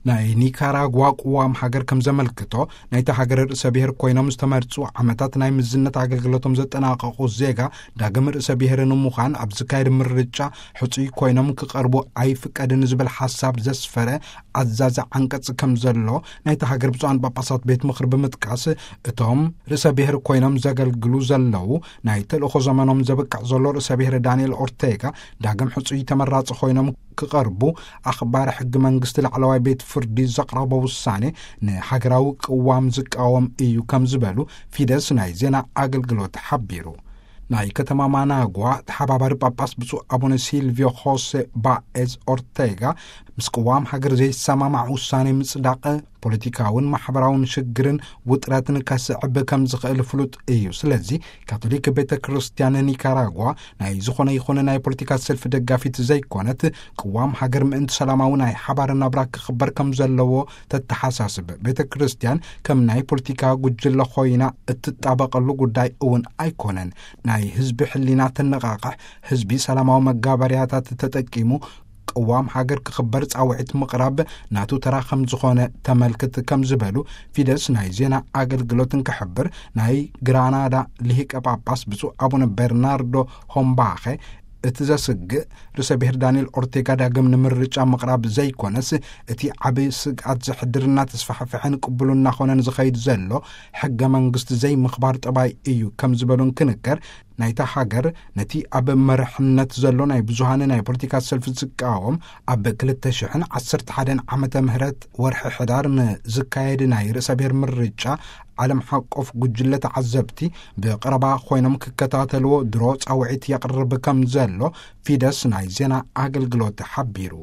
ናይ ኒካራጓ ቅዋም ሃገር ከም ዘመልክቶ፣ ናይታ ሃገር ርእሰ ብሔር ኮይኖም ዝተመርጹ ዓመታት ናይ ምዝነት ኣገልግሎቶም ዘጠናቐቑ ዜጋ ዳግም ርእሰ ብሔር ንምዃን ኣብ ዝካየድ ምርጫ ሕጹይ ኮይኖም ክቐርቡ ኣይፍቀድን ዝብል ሓሳብ ዘስፈረ ኣዛዚ ዓንቀጽ ከም ዘሎ ናይታ ሃገር ብፁዓን ጳጳሳት ቤት ምኽሪ ብምጥቃስ፣ እቶም ርእሰ ብሔር ኮይኖም ዘገልግሉ ዘለዉ ናይ ተልእኾ ዘመኖም ዘብቅዕ ዘሎ ርእሰ ብሔር ዳንኤል ኦርቴጋ ዳግም ሕጹይ ተመራጺ ኮይኖም ክቐርቡ ኣኽባሪ ሕጊ መንግስቲ ላዕለዋይ ቤት ፍርዲ ዘቕረቦ ውሳኔ ንሃገራዊ ቅዋም ዝቃወም እዩ ከም ዝበሉ ፊደስ ናይ ዜና ኣገልግሎት ሓቢሩ። ናይ ከተማ ማናጓ ተሓባባሪ ጳጳስ ብፁዕ ኣቡነ ሲልቪዮ ሆሴ ባኤዝ ኦርቴጋ ምስ ቅዋም ሃገር ዘይሰማማዕ ውሳኔ ምጽዳቕ ፖለቲካውን ማሕበራውን ሽግርን ውጥረትን ከስዕብ ከም ዝኽእል ፍሉጥ እዩ። ስለዚ ካቶሊክ ቤተ ክርስቲያን ኒካራጓ ናይ ዝኾነ ይኹን ናይ ፖለቲካ ሰልፊ ደጋፊት ዘይኮነት፣ ቅዋም ሃገር ምእንቲ ሰላማዊ ናይ ሓባር ናብራ ክኽበር ከም ዘለዎ ተተሓሳስብ። ቤተ ክርስቲያን ከም ናይ ፖለቲካ ጉጅለ ኮይና እትጣበቐሉ ጉዳይ እውን ኣይኮነን። ናይ ህዝቢ ሕሊና ተነቓቕሕ፣ ህዝቢ ሰላማዊ መጋበርያታት ተጠቂሙ ቅዋም ሃገር ክኽበር ጻውዒት ምቕራብ ናቱ ተራ ከም ዝኾነ ተመልክት ከም ዝበሉ ፊደስ ናይ ዜና ኣገልግሎት እንክሕብር፣ ናይ ግራናዳ ልሂቀ ጳጳስ ብፁዕ ኣቡነ በርናርዶ ሆምባኸ እቲ ዘስግእ ርእሰ ብሔር ዳንኤል ኦርቴጋ ዳግም ንምርጫ ምቕራብ ዘይኮነስ፣ እቲ ዓቢ ስግኣት ዘሕድርና ተስፋሕፍሐን ቅቡል እናኾነን ዝኸይድ ዘሎ ሕገ መንግስቲ ዘይምኽባር ጠባይ እዩ ከም ዝበሉ እንክንገር፣ ናይታ ሃገር ነቲ ኣብ መርሕነት ዘሎ ናይ ብዙሃን ናይ ፖለቲካ ሰልፊ ዝቃወም፣ ኣብ ክልተ ሽሕን ዓሰርተ ሓደን ዓመተ ምህረት ወርሒ ሕዳር ንዝካየድ ናይ ርእሰ ብሔር ምርጫ ዓለም ሓቆፍ ጉጅለ ተዓዘብቲ ብቐረባ ኮይኖም ክከታተልዎ ድሮ ጻውዒት የቕርብ ከም ዘሎ ፊደስ ናይ ዜና ኣገልግሎት ሓቢሩ።